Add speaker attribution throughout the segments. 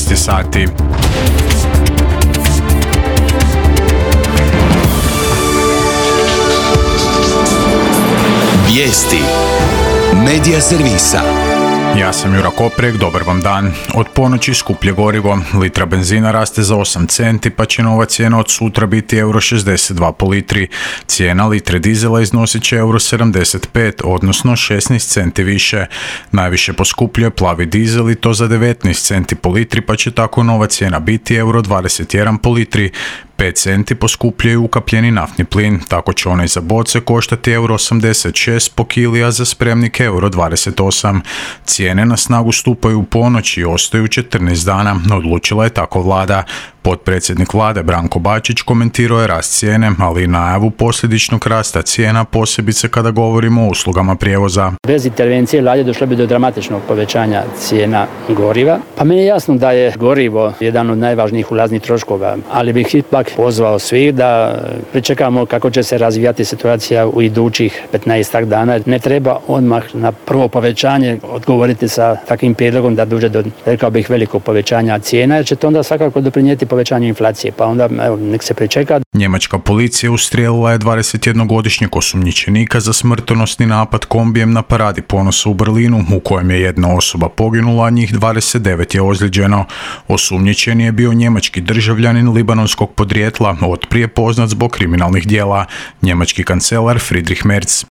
Speaker 1: 13 sati.
Speaker 2: Vijesti Medija servisa.
Speaker 1: Ja sam Jura Koprek, dobar vam dan. Od ponoći skuplje gorivo, litra benzina raste za 8 centi, pa će nova cijena od sutra biti €62 po litri. Cijena litre dizela iznosit će €75, odnosno 16 centi više. Najviše poskupljuje plavi dizel i to za 19 centi po litri, pa će tako nova cijena biti €21 po litri. 5 centi poskupljuje ukapljeni naftni plin, tako će onaj za boce koštati €86 po kili, a za spremnik €28. Cijene na snagu stupaju u ponoć i ostaju 14 dana, odlučila je tako vlada. Potpredsjednik vlade Branko Bačić komentirao je rast cijene, ali i najavu posljedičnog rasta cijena, posebice kada govorimo o uslugama prijevoza.
Speaker 3: Bez intervencije vlade došlo bi do dramatičnog povećanja cijena goriva. Pa meni je jasno da je gorivo jedan od najvažnijih ulaznih troškova, ali bih ipak pozvao svih da pričekamo kako će se razvijati situacija u idućih 15 dana. Ne treba odmah na prvo povećanje odgovoriti sa takvim prijedlogom da dođe do, rekao bih, velikog povećanja cijena, jer će to onda svakako doprinijeti povećanju inflacije, pa onda nek se pričeka.
Speaker 1: Njemačka policija ustrijelila je 21-godišnjeg osumnjičenika za smrtonosni napad kombijem na Paradi ponosa u Berlinu, u kojem je jedna osoba poginula, a njih 29 je ozlijeđeno. Osumnjičeni je bio njemački državljanin libanonskog podrijetla, otprije poznat zbog kriminalnih djela, njemački kancelar Friedrich Merz.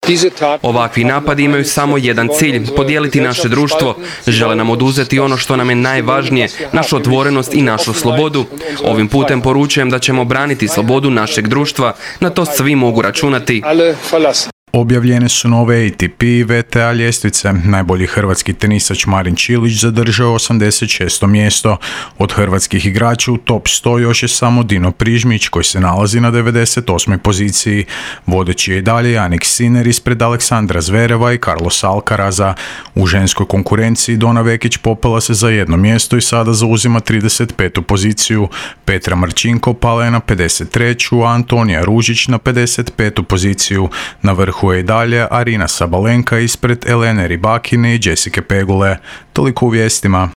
Speaker 4: Ovakvi napadi imaju samo jedan cilj, podijeliti naše društvo. Žele nam oduzeti ono što nam je najvažnije, našu otvorenost i našu slobodu. Ovim putem poručujem da ćemo braniti slobodu našeg društva, na to svi mogu računati.
Speaker 1: Objavljene su nove ATP i WTA ljestvice. Najbolji hrvatski tenisač Marin Čilić zadržao 86. mjesto. Od hrvatskih igrača u top 100 još je samo Dino Prižmić, koji se nalazi na 98. poziciji. Vodeći je i dalje Jannik Sinner ispred Aleksandra Zvereva i Carlosa Alcaraza. U ženskoj konkurenciji Dona Vekić popela se za jedno mjesto i sada zauzima 35. poziciju. Petra Marčinko pala je na 53., a Antonija Ružić na 55. poziciju. Na vrhu je i dalje Arina Sabalenka ispred Elene Rybakine i Jessica Pegule. Toliko u vijestima.